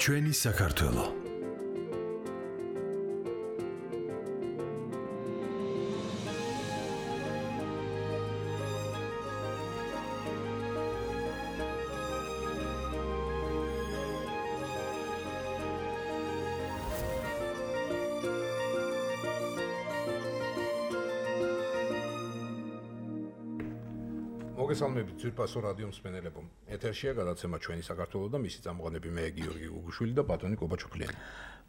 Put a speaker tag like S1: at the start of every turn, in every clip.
S1: ჩვენი საქართველო.
S2: მოგესალმებით ძვირფასო რადიო მსმენელებო. ეთერშია გადაცემა ჩვენი საქართველო და მისი წამოყენები მე გიორგი გუგუშვილი და ბატონი კობაჩოფლიანი.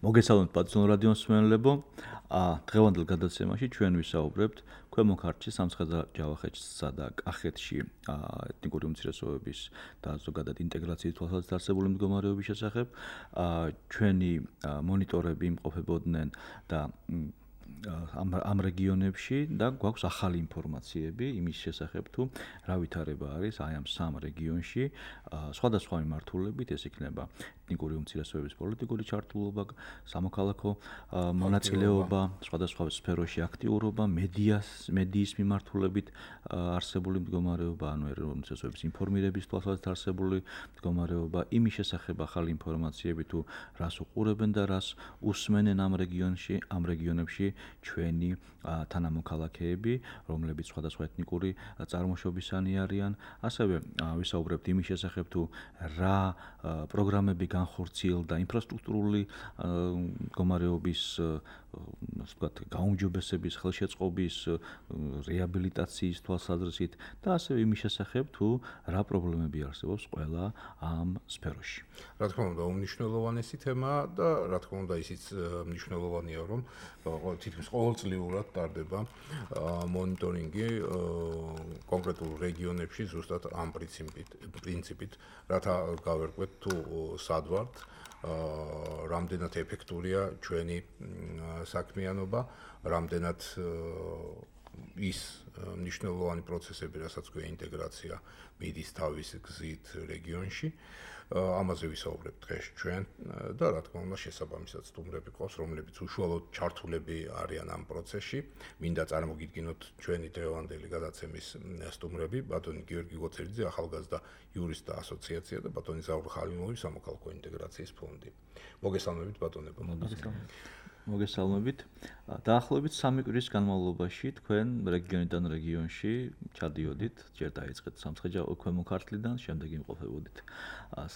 S3: მოგესალმებით ბატონო რადიო მსმენელებო. დღევანდელ გადაცემაში ჩვენ ვისაუბრებთ ქვემო ქართლში, სამცხე-და ჯავახეთსა და კახეთში ეთნიკური უმცირესობების და ზოგადად ინტეგრაციის თვალსაზრისით არსებული მდგომარეობის შესახებ. ჩვენი მონიტორები იმყოფებოდნენ და ამ რეგიონებში და გვაქვს ახალი ინფორმაციები იმის შესახებ თუ რა ვითარება არის აი ამ სამ რეგიონში სხვადასხვა მიმართულებით ეს იქნება ეთნიკური უმცირესობების პოლიტიკური ჩართულობა, სამოქალაქო მონაწილეობა, სხვადასხვა სფეროში აქტიურობა, მედიის მიმართულებით არსებული მდგომარეობა, ანუ უმცირესობების ინფორმირების თვალსაზრისით არსებული მდგომარეობა, იმის შესახებ ახალი ინფორმაციები თუ რას უყურებენ და რას უსმენენ ამ რეგიონებში ჩვენი თანამოქალაქეები, რომლებიც სხვადასხვა ეთნიკური წარმოშობისანი არიან. ასევე ვისაუბრებთ იმის შესახებ თუ რა პროგრამები განხორციელდა ინფრასტრუქტურული მდგომარეობის გაუმჯობესების, ხელშეწყობის, რეაბილიტაციის თვალსაზრისით და ასევე იმის შესახებ თუ რა პრობლემები არსებობს ყველა ამ სფეროში.
S2: რა თქმა უნდა, უმნიშვნელოვანესი თემაა და რა თქმა უნდა ისიც მნიშვნელოვანია, რომ თითქმის ყოველწლიურად ტარდება მონიტორინგი კონკრეტულ რეგიონებში ზუსტად ამ პრინციპით, რათა გავერკვეთ თუ სად ვართ, რამდენად ეფექტურია ჩვენი საქმიანობა, რამდენად ის მნიშვნელოვანი პროცესები, რასაც ქვია ინტეგრაცია, მიდის თავის გზით რეგიონში. ამაზე ვისაუბრებთ დღეს ჩვენ და რა თქმა უნდა შესაბამისად სტუმრები ყავს, რომლებიც უშუალოდ ჩართულები არიან ამ პროცესში. მინდა წარმოგიდგინოთ ჩვენი დღევანდელი გადაცემის სტუმრები, ბატონი გიორგი გოცერიძე, ახალგაზრდა იურისტთა ასოციაცია და ბატონი ზაურ ხალიმოვი, სამოქალაქო ინტეგრაციის ფონდი. მოგესალმებით ბატონებო.
S3: მოგესალმებით. დაახლოებით 3 კვირის განმავლობაში თქვენ რეგიონიდან რეგიონში ჩადიოდით, ჯერ დაიწყეთ ქვემო ქართლიდან, შემდეგ იმყოფებოდით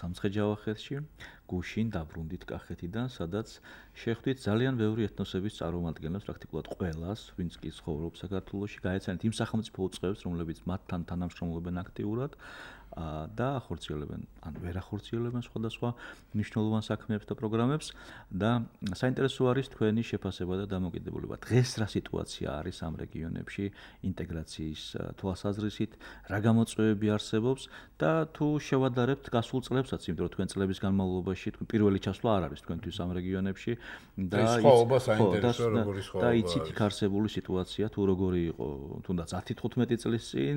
S3: სამცხე-ჯავახეთში, გუშინ დაბრუნდით კახეთიდან, სადაც შეხვდით ძალიან ბევრი ეთნოსების წარმომადგენლებს, პრაქტიკულად ყველას, ვინც კი ცხოვრობს საქართველოში, გაეცანით იმ სახელმწიფო უწყებებს, რომლებიც მათთან თანამშრომლობენ აქტიურად და ახორციელებენ, ან ვერ ახორციელებენ სხვადასხვა მნიშვნელოვან საქმეებს და პროგრამებს და საინტერესო არის თქვენი შეფასება და დამოკიდებულება. დღეს რა სიტუაცია არის ამ რეგიონებში ინტეგრაციის თვალსაზრისით, რა გამოწვევები არსებობს და თუ შევადარებთ გასულ წლებსაც, იმიტომ რომ თქვენ წლების განმავლობაში პირველი ჩასვლა არ არის თქვენთვის ამ რეგიონებში და იცით იქ არსებული სიტუაცია თუ როგორი იყო თუნდაც 10-15 წლის წინ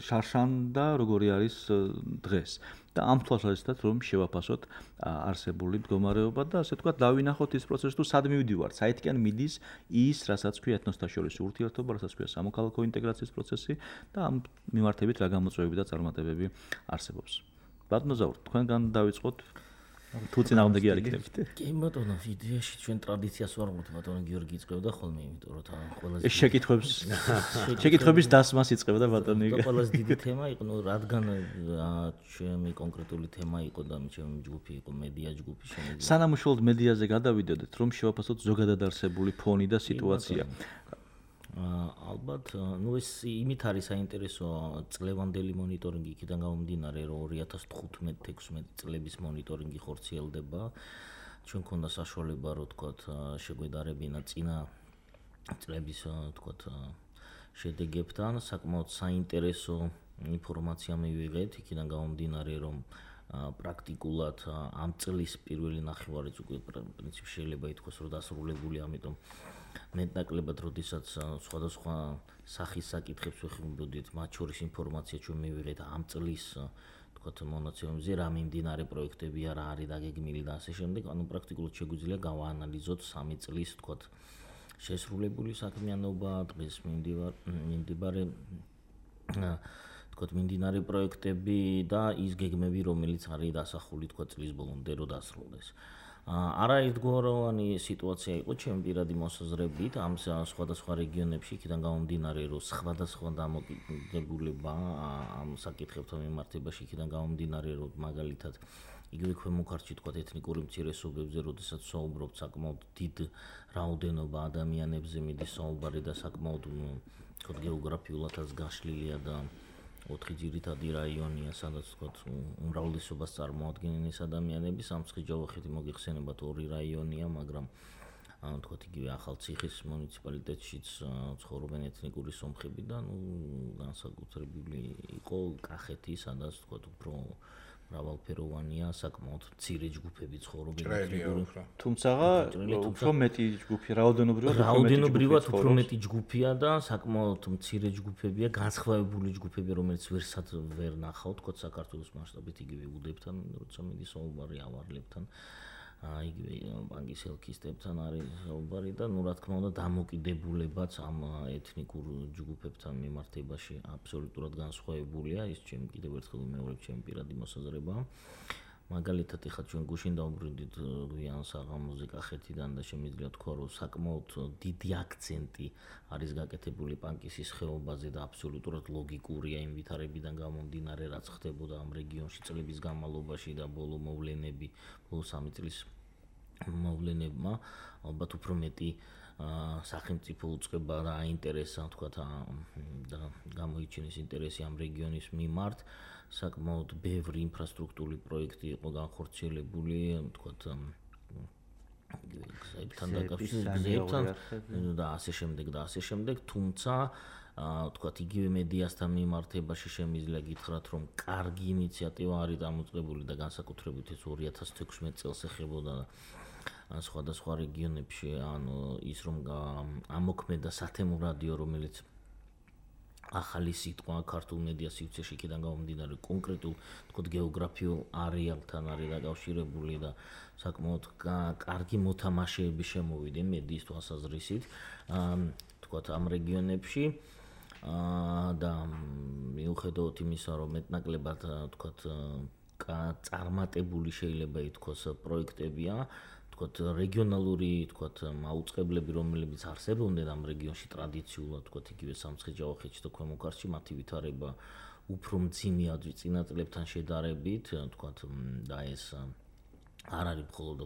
S3: შარშან და როგორი არის დღეს და ამ თვალსაზრისით რომ შევაფასოთ არსებული მდგომარეობა და ასე ვთქვათ დავინახოთ ის პროცესი თუ სად მივდივართ, საერთკენ მიდის ის, რასაც ქვია ეთნოსთა შორის ურთიერთობა, რასაც ქვია სამოქალაქო ინტეგრაციის პროცესი და ამ მიმართებით რა გამოწვევები და წარმატებები არსებობს. ბატონო ზაურ, თქვენგან დავიწყოთ თუ წინააღმდეგი არ იქნებით.
S4: კი ბატონო, იდეაში ჩვენ ტრადიციას ვარ მოხდა ბატონო გიორგი იწყებდა ხოლმე, იმიტომ რომ ყველაზე
S3: ეს შეკითხვების დასმას იწყებდა ბატონი.
S4: ყველაზე დიდი თემა იყო, რადგან ჩემი კონკრეტული თემა იყო და ჩემი ჯგუფი იყო მედია ჯგუფი შემიძლია.
S3: სანამ უშუალოდ მედიაზე გადავიდოდეთ, რომ შევაფასოთ ზოგადად არსებული ფონი და სიტუაცია.
S4: ალბათ, ეს იმით არის საინტერესო წლევანდელი მონიტორინგი იქიდან გამომდინარე, რომ 2015-16 წლების მონიტორინგი ხორციელდება. ჩვენ ქონდა საშუალება, რომ თქვათ, შეგვედარებინა წინა წლების თქვათ შედეგებთან, საკმაოდ საინტერესო ინფორმაცია მივიღეთ, იქიდან გამომდინარე, რომ პრაქტიკულად ამ წლის პირველი ნახევარიც უკვე პრინციპში შეიძლება ითქვას, რომ დასრულებული, ამიტომ მეტნაკლებად, როდესაც სხვადასხვა სახის საკითხებს ვეხმარებოდით, მათ შორის ინფორმაცია ჩვენ მივიღეთ ამ წლის თქვათ მონაცემებზე, რა მიმდინარე პროექტები არა არის დაგეგმილი და ასე შემდეგ, ანუ პრაქტიკულად შეგვიძლია გავაანალიზოთ 3 წლის თქვათ შესრულებული საქმიანობა, დღეს მიმდებარე თქო მიმდინარე პროექტები და ის გეგმები, რომელიც არის დასახული თქო წლის ბოლომდე რო დასრულდეს. არაერთგვაროვანი სიტუაცია იყო ჩემი პირადი მოსაზრებით ამ სხვადასხვა რეგიონებში, იქიდან გამომდინარე, რომ სხვადასხვა დამოკიდებულება ამ საკითხებთან მიმართებაში, იქიდან გამომდინარე, რომ მაგალითად იგივე ქვემოქართლში თქვა ეთნიკური უმცირესობებზე, როდესაც საუბრობთ საკმაოდ დიდ რაოდენობა ადამიანებზე მიდის საუბარი და საკმაოდ თქო გეოგრაფიულადაც გაშლილია და 4 ძირითადი რაიონია, სადაც თქო უმრავლესობას წარმოადგენენ ეს ადამიანები, სამცხე-ჯავახეთი მოგიხსენებათ 2 რაიონია, მაგრამ თქო იგივე ახალციხის მუნიციპალიტეტშიც ცხოვრობენ ეთნიკური სომხები და განსაკუთრებული იყო კახეთი, სადაც თქო უფრო მრავალფეროვანია, საკმაოდ მცირე ჯგუფები ცხოვრობენ ეთნიკური.
S3: თუმცა უფრო მეტი ჯგუფი, რაოდენობრივად უფრო მეტი ჯგუფია
S4: და საკმაოდ მცირე ჯგუფებია, განსხვავებული ჯგუფები, რომელიც ვერ ნახავთ თქო საქართველოს მასშტაბით იგივე უდებთან, როცა მიდის საუბარი ავარლებთან. იგივე ბანკის ელქისტებთან არის საუბარი და რა თქმა უნდა დამოკიდებულებაც ამ ეთნიკურ ჯგუფებთან მიმართებაში აბსოლუტურად განსხვავებულია, ის ჩემი კიდევ ერთხელ მეორე ჩემი პირადი მოსაზრება. მაგალითად, ეხლა ჩვენ გუშინ დავბრუნდით გვიან საღამოზე კახეთიდან და შემიძლია თქვა, რომ საკმაოდ დიდი აქცენტი არის გაკეთებული პანკისის ხეობაზე და აბსოლუტურად ლოგიკურია იმ ვითარებიდან გამომდინარე, რაც ხდებოდა ამ რეგიონში წლების განმავლობაში და ბოლო 3 წლის მოვლენებმა, ალბათ უფრო მეტი სახელმწიფო უწყება და აინტერესა, თქვა და გამოიჩინეს ინტერესი ამ რეგიონის მიმართ. საკმაოდ ბევრი ინფრასტრუქტურული პროექტი იყო განხორციელებული, თქვა გზებთან დაკავშირებით და ასე შემდეგ, თუმცა თქვა იგივე მედიასთან მიმართებაში შემიძლია გითხრათ, რომ კარგი ინიციატივა არის დამოწმებული და განსაკუთრებით ეს 2016 წელს ეხებოდა სხვადასხვა რეგიონებში, ანუ ის რომ ამოქმედა სათემო რადიო, რომელიც ახალი სიტყვა ქართულ მედია სივრცეში იქიდან გამომდინარე კონკრეტულ თქო გეოგრაფიულ არეალთან არის დაკავშირებული და საკმაოდ კარგი მოთამაშეები შემოვიდნენ მედიის თვალსაზრისით თქო ამ რეგიონებში და მიუხედავად იმისა, რომ მეტნაკლებად თქო წარმატებული შეიძლება ითქვას პროექტებია, თქოთ რეგიონალური თქოთ მაუწყებლები, რომლებიც არსებობდნენ ამ რეგიონში ტრადიციულად, თქოთ იგივე სამცხე-ჯავახეთში და ქვემოქართლში, მათი ვითარება უფრო მძიმეა წინა წლებთან შედარებით, თქოთ და ეს არ არის მხოლოდ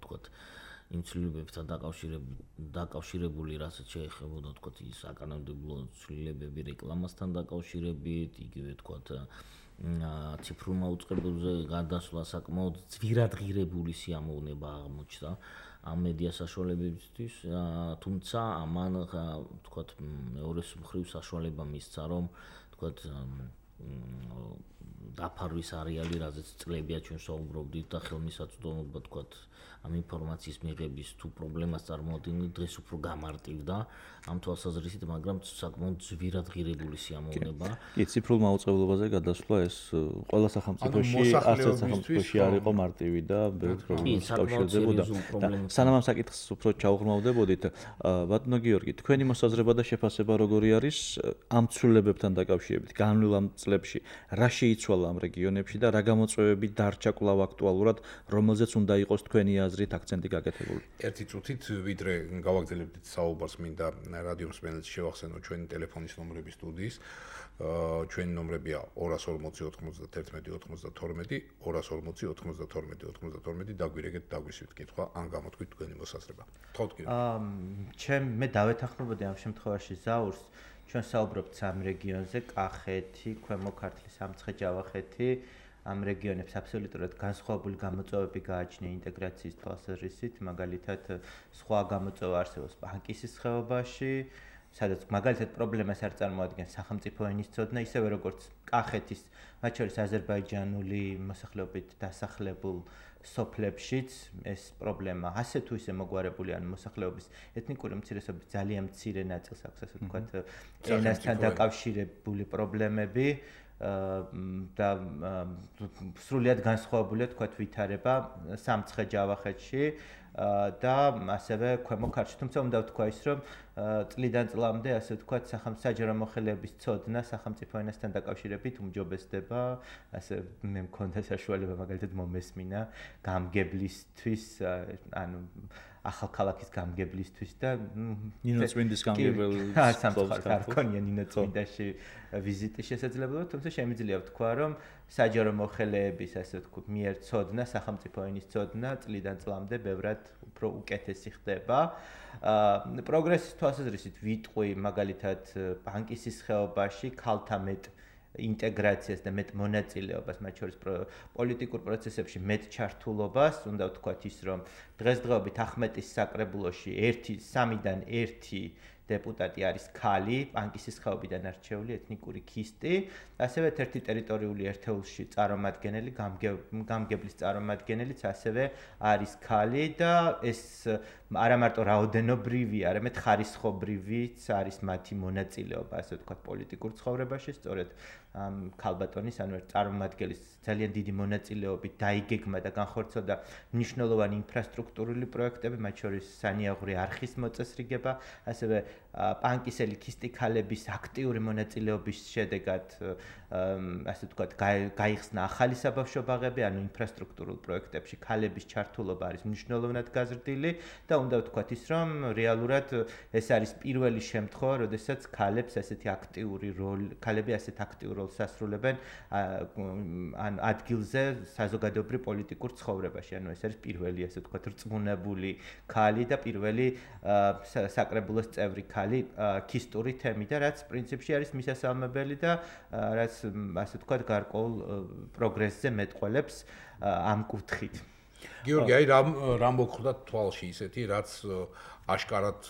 S4: თქოთ იმ ცვლილებებთან დაკავშირებული, რასაც შეეხებოდა თქოთ ის საკანონმდებლო ცვლილებები რეკლამასთან დაკავშირებით, იგივე თქოთ ციფრულ მაუწყებელზე გადასვლა საკმაოდ ძვირადღირებული სიამოვნება აღმოჩნდა ამ მედია საშუალებებისთვის, თუმცა ამან თქოთ მეორე მხრივ საშუალება მისცა, რომ თქოთ დაფარვის არეალი, რაზეც წლებია ჩვენ საუბრობდით და ხელმისაწვდომობა თქოთ ამ ინფორმაციის მიღების თუ პრობლემას წარმოადგენდა, დღეს უფრო გამარტივდა ამ თვალსაზრისით, მაგრამ საკმაოდ ძვირადღირებული სიამოვნება.
S3: კი, ციფრულ მაუწყებლობაზე გადასვლა ეს ყველა სახელმწიფოში, არც სახელმწიფოში არ იყო მარტივი და ბევრ პრობლემას უკავშირდებოდა. სანამ ამ საკითხს უფრო ჩაუღრმავდებოდით, ბატონო გიორგი, თქვენი მოსაზრება და შეფასება როგორი არის ამ ცვლილებებთან დაკავშირებით? განვლილ ამ წლებში რა შეიცვალა ამ რეგიონებში და რა გამოწვევები დარჩა კვლავ აქტუალურად, რომელზეც უნდა იყოს თქვენი აზრით აქცენტი გაკეთებული?
S2: ერთი წუთით ვიდრე გავაგრძელებთ საუბარს, მინდა რადიო მსმენელს შევახსენო ჩვენი ტელეფონის ნომრები სტუდიის. ჩვენი ნომრებია 240 91 92, 240 92 92, დაგვირეკეთ, დაგვისვით კითხვა, ან გამოთქვით თქვენი მოსაზრება. თხოვთ გიორგი.
S1: მე დავეთანხმებოდი ამ შემთხვევაში ზაურს. ჩვენ საუბრობთ სამ რეგიონზე, კახეთი, ქვემოქართლი, სამცხე-ჯავახეთი. ამ რეგიონებს აბსოლუტურად განსხვავებული გამოწვევები გააჩნია ინტეგრაციის თვალსაზრისით, მაგალითად სხვა გამოწვევა არსებობს პანკისის ხეობაში, სადაც მაგალითად პრობლემას არ წარმოადგენს სახელმწიფო ენის ცოდნა, ისევე როგორც კახეთის, მათ შორის აზერბაიჯანული მოსახლეობით დასახლებულ სოფლებშიც ეს პრობლემა ასე თუ ისე მოგვარებული ან მოსახლეობის ეთნიკური უმცირესობის ძალიან მცირე ნაწილს აქვს ასე ვთქვათ ენასთან დაკავშირებული პრობლემები და სრულიად განსხვავებულია თქვათ ვითარება სამცხე-ჯავახეთში და ასევე ქვემო ქართლში. თუმცა უნდა ვთქვა ის, რომ წლიდან წლამდე ასე ვთქვათ საჯარო მოხელეების ცოდნა სახელმწიფო ენასთან დაკავშირებით უმჯობესდება. ასე მე მქონდა საშუალება მაგალითად მომესმინა გამგებლისთვის, ანუ ახალქალაქის გამგებლისთვის და
S3: ნინო წმინდის გამგებელი
S1: სამწუხაროდ არ ქონია ნინო წმინდაში ვიზიტის შესაძლებლობა, თუმცა შემიძლია ვთქვა, რომ საჯარო მოხელეების ასე ვთქვათ მიერ ცოდნა, სახელმწიფო ენის ცოდნა წლიდან წლამდე ბევრად უფრო უკეთესი ხდება. პროგრესის თვალსაზრისით ვიტყვი მაგალითად ბანკისის ხეობაში ქალთა მეტ ინტეგრაციას და მეტ მონაწილეობას, მათ შორის პოლიტიკურ პროცესებში მეტ ჩართულობას, უნდა ვთქვათ ის, რომ დღესდღეობით ახმეტის საკრებულოში 3-დან 1 დეპუტატი არის ქალი, ბანკისის ხეობიდან არჩეული ეთნიკური ქისტი, ასევე ერთ-ერთი ტერიტორიული ერთეულში წარმომადგენელი, გამგებლის წარმომადგენელიც ასევე არის ქალი და ეს არა მარტო რაოდენობრივი, არამედ ხარისხობრივიც არის მათი მონაწილეობა, ასე ვთქვათ, პოლიტიკურ ცხოვრებაში, სწორედ ქალბატონის, ანუ წარმომადგენლის ძალიან დიდი მონაწილეობით დაიგეგმა და განხორციელდა მნიშვნელოვანი ინფრასტრუქტურული პროექტები, მათ შორის სანიაღვრე არხის მოწესრიგება, ასევე პანკისელი ქისტი ქალების აქტიური მონაწილეობის შედეგად ასე ვთქვათ, გაიხსნა ახალი საბავშვო ბაღები, ანუ ინფრასტრუქტურულ პროექტებში ქალების ჩართულობა არის მნიშვნელოვნად გაზრდილი და უნდა ვთქვათ ის, რომ რეალურად ეს არის პირველი შემთხვევა, როდესაც ქალები ასეთ აქტიურ როლს ასრულებენ ან ადგილზე საზოგადოებრივ პოლიტიკურ ცხოვრებაში. ანუ ეს არის პირველი ასე ვთქვათ, რწმუნებული ქალი და პირველი საკრებულოს წევრი ქალი ქისტური თემი და რაც პრინციპში არის მისასალმებელი და რაც ასე ვთქვათ, გარკვეულ პროგრესზე მეტყველებს ამ კუთხით.
S2: გიორგი, აი რამ მოგხვდა თვალში ისეთი, რაც აშკარად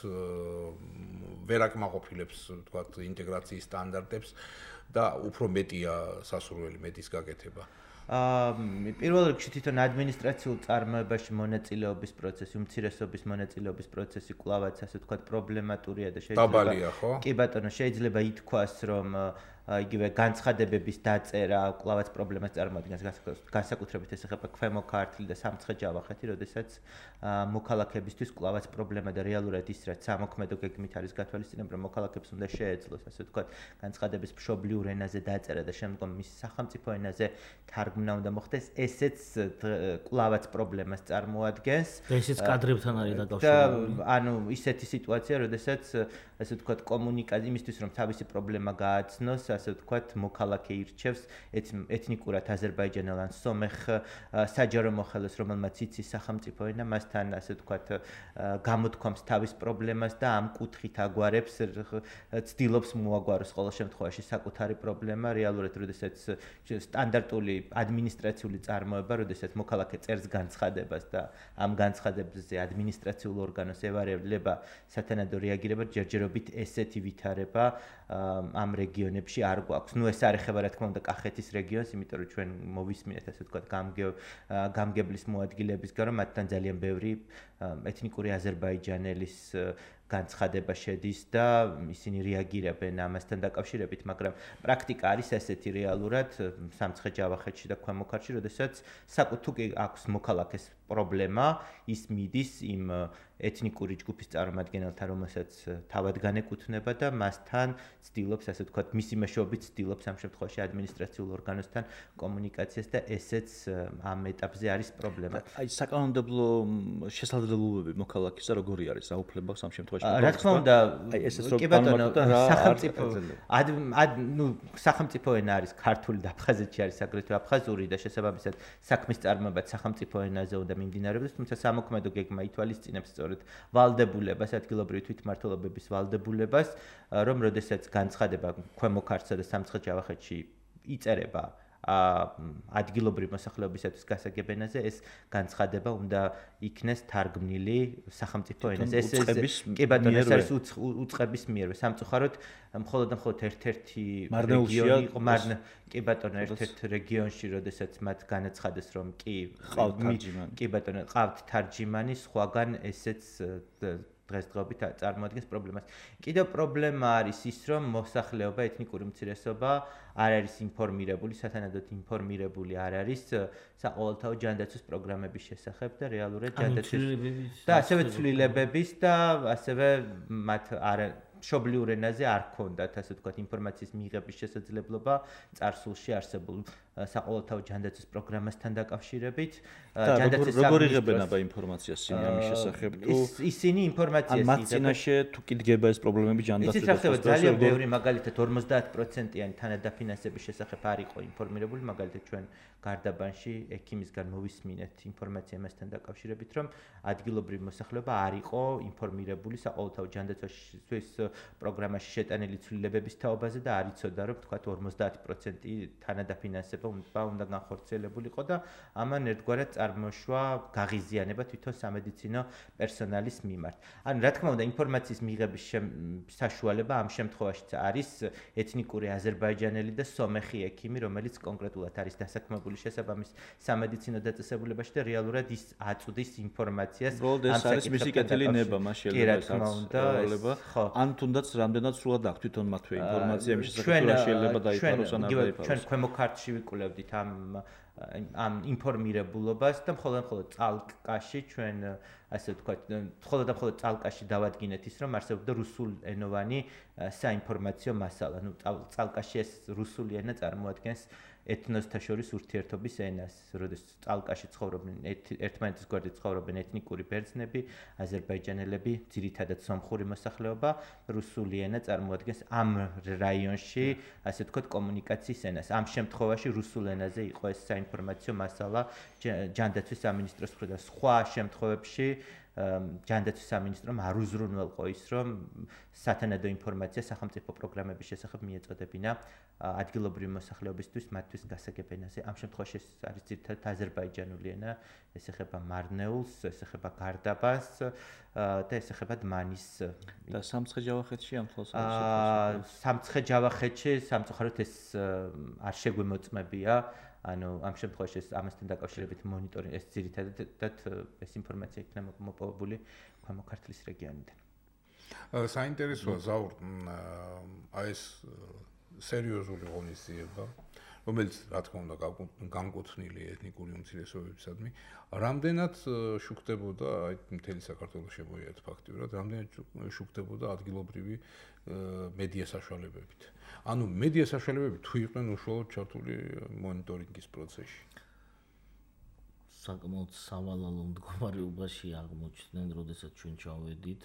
S2: ვერ აკმაყოფილებს, ვთქვათ, ინტეგრაციის სტანდარტებს და უფრო მეტია სასურველი მეტის გაკეთება.
S1: პირველ რიგში თვითონ ადმინისტრაციულ წარმოებაში მონაწილეობის პროცესი, უმცირესობის მონაწილეობის პროცესი კვლავაც ასე ვთქვათ პრობლემატურია და
S2: შეიძლება
S1: კი ბატონო, შეიძლება ითქვას, რომ იგივე განცხადებების დაწერა კვლავაც პრობლემას წარმოადგენს, განსაკუთრებით ეს ეხება ქვემო ქართლი და სამცხე-ჯავახეთი, როდესაც მოქალაქეებისთვის კვლავაც პრობლემა და რეალურად ის რაც სამოქმედო გეგმით არის გათვალისწინებული, რომ მოქალაქეებს უნდა შეეძლოს, ასე ვთქვათ, განცხადების მშობლიურ ენაზე დაწერა და შემდგომ მის სახელმწიფო ენაზე თარგმნა უნდა მოხდეს, ესეც კვლავაც პრობლემას წარმოადგენს.
S4: ესეც კადრებთან არის დაკავშირებული.
S1: ანუ ისეთი სიტუაცია, როდესაც ასე ვთქვათ, კომუნიკაცია იმისთვის, რომ თავისი პრობლემა გააცნოს, ასე ვთქვათ, მოქალაქე ირჩევს ეთნიკურად აზერბაიჯანელ ან სომეხ საჯარო მოხელეს, რომელმაც იცის სახელმწიფო ენა, მასთან ასე ვთქვათ, გამოთქვამს თავის პრობლემას და ამ კუთხით აგვარებს, ცდილობს მოაგვაროს ყოველ შემთხვევაში საკუთარი პრობლემა, რეალურად, როდესაც სტანდარტული ადმინისტრაციული წარმოება, როდესაც მოქალაქე წერს განცხადებას და ამ განცხადებზე ადმინისტრაციულ ორგანოს ევარება სათანადო რეაგირება, ჯერჯერობით ესეთი ვითარება ამ რეგიონებში არ გვაქვს. ნუ ეს არ ეხება რა თქმა უნდა კახეთის რეგიონს, იმიტომ რომ ჩვენ მოვისმინეთ ასე ვთქვათ გამგებლის მოადგილეების გარო, მათთან ძალიან ბევრი ეთნიკური აზერბაიჯანელის განცხადება შედის და ისინი რეაგირებენ ამასთან დაკავშირებით, მაგრამ პრაქტიკა არის ესეთი რეალურად სამცხე-ჯავახეთში და ქვემო ქართლში, როდესაც თუ კი აქვს მოქალაქეს პრობლემა, ის მიდის იმ ეთნიკური ჯგუფის წარმომადგენელთან, რომელსაც თავად განეკუთვნება და მასთან ცდილობს, ასე ვთქვათ, მისი მეშვეობით ცდილობს ამ შემთხვევაში ადმინისტრაციულ ორგანოსთან კომუნიკაციას და ესეც ამ ეტაპზე არის პრობლემა.
S3: აი საკანონმდებლო შესაძლებლობები მოქალაქისა როგორი არის საუფლება ამ შემთხვევაში?
S1: რა თქმა უნდა, კი ბატონო, სახელმწიფო ენა არის ქართული და აფხაზეთში არის აგრეთვე აფხაზური და შესაბამისად საქმის წარმოებაც სახელმწიფო ენაზე უნდა მიმდინარეობდეს, თუმცა სამოქმედო გეგმა ითვალისწინებს სწორედ ვალდებულებას, ადგილობრივი თვითმმართველობების ვალდებულებას, რომ როდესაც განცხადება ქვემო ქართლსა და სამცხე-ჯავახეთში იწერება ადგილობრივი მოსახლეობისათვის გასაგებენაზე ეს განცხადება უნდა იქნეს თარგმნილი სახელმწიფო ენაზე. ეს კი ბატონო, ეს არის უწყების მიერვე. სამწუხაროდ მხოლოდ ერთ-ერთი რეგიონი იყო კი ბატონო, ერთ-ერთ რეგიონში, როდესაც მათ განაცხადეს, რომ კი ბატონო, ყავთ თარჯიმანი, სხვაგან ესეც დღესდღეობით წარმოადგენს პრობლემას. კიდევ პრობლემა არის ის, რომ მოსახლეობა, ეთნიკური უმცირესობა არ არის ინფორმირებული, სათანადოდ ინფორმირებული არ არის საყოველთაო ჯანდაცვის პროგრამების შესახებ და რეალურად ჯანდაცვის და ასევე ცვლილებების და ასევე მათ მშობლიურ ენაზე არ ქონდათ, ასე ვთქვათ, ინფორმაციის მიღების შესაძლებლობა წარსულში არსებულ საყოველთაო ჯანდაცვის პროგრამასთან დაკავშირებით.
S3: როგორ იღებენ აბა ინფორმაციას იმის შესახებ თუ
S1: ისინი ინფორმაციას
S3: იღებენ? მათ წინაშე თუ კიდგება ეს პრობლემები ჯანდაცვის
S1: შესახებ ძალიან ბევრი, მაგალითად 50%-იანი თანადაფინანსების შესახებ არ იყო ინფორმირებული, მაგალითად ჩვენ გარდაბანში ექიმისგან მოვისმინეთ ინფორმაცია მასთან დაკავშირებით, რომ ადგილობრივი მოსახლეობა არ იყო ინფორმირებული საყოველთაო ჯანდაცვის პროგრამაში შეტანილი ცვლილებების თაობაზე და არ იცოდა, რომ თქვათ 50% თანადაფინანსება უნდა განხორციელებულიყო და ამან ერთგვარად წარმოშვა გაღიზიანება თვითონ სამედიცინო პერსონალის მიმართ. ანუ რა თქმა უნდა, ინფორმაციის მიღების საშუალება ამ შემთხვევაშიც არის ეთნიკური აზერბაიჯანელი და სომეხი ექიმი, რომელიც კონკრეტულად არის დასაქმებული შესაბამის სამედიცინო დაწესებულებაში და რეალურად ის აწვდის ინფორმაციას
S3: ამ საკითხებთან. ეს არის მისი კეთილი ნება, მას შეიძლება ან თუნდაც რამდენად სრულად აქვს თვითონ მათვე ინფორმაცია იმის შესახებ, რა შეიძლება დაიფაროს ან არ დაიფაროს.
S1: ჩვენ ქვემო ქართლში ვიკვლევდით ამ ინფორმირებულობას და მხოლოდ წალკაში ჩვენ ასე ვთქვათ, მხოლოდ წალკაში დავადგინეთ ის, რომ არსებობდა რუსულენოვანი საინფორმაციო მასალა. ნუ წალკაში ეს რუსული ენა წარმოადგენს ეთნოსთა შორის ურთიერთობის ენას, როდესაც წალკაში ცხოვრობენ ერთმანეთის გვერდით ცხოვრობენ ეთნიკური ბერძნები, აზერბაიჯანელები, ძირითადად სომხური მოსახლეობა, რუსული ენა წარმოადგენს ამ რაიონში, ასე ვთქვათ, კომუნიკაციის ენას. ამ შემთხვევაში რუსულ ენაზე იყო ეს საინფორმაციო მასალა ჯანდაცვის სამინისტროს მხრიდან. სხვა შემთხვევებში ჯანდაცვის სამინისტრომ არ უზრუნველყო ის, რომ სათანადო ინფორმაცია სახელმწიფო პროგრამების შესახებ მიეწოდებინა ადგილობრივი მოსახლეობისთვის მათთვის გასაგებენაზე. ამ შემთხვევაში ეს არის ძირითადად აზერბაიჯანული ენა, ეს ეხება მარნეულს, ეს ეხება გარდაბანს და ეს ეხება დმანის
S3: და სამცხე-ჯავახეთში ამ თვალს
S1: სამცხე-ჯავახეთში სამწუხაროდ ეს არ შეგვემოწმებია. ანუ ამ შემთხვევაში ამასთან დაკავშირებით მონიტორინგი ეს ძირითადად ეს ინფორმაცია იქნება მოპოვებული ქვემო ქართლის რეგიონიდან.
S2: საინტერესოა ზაურ ეს სერიოზული ღონისძიება, რომელიც რა თქმა უნდა განკუთვნილი ეთნიკური უმცირესობებისადმი, რამდენად შუქდებოდა, აი მთელი საქართველოს შემოიარეთ ფაქტიურად, რამდენად შუქდებოდა ადგილობრივი მედია საშუალებებით. ანუ მედია საშუალებები თუ იყვნენ უშუალოდ ჩართული მონიტორინგის პროცესში.
S4: საკმაოდ სავალალო მდგომარეობაში აღმოჩნდნენ, როდესაც ჩვენ ჩავედით,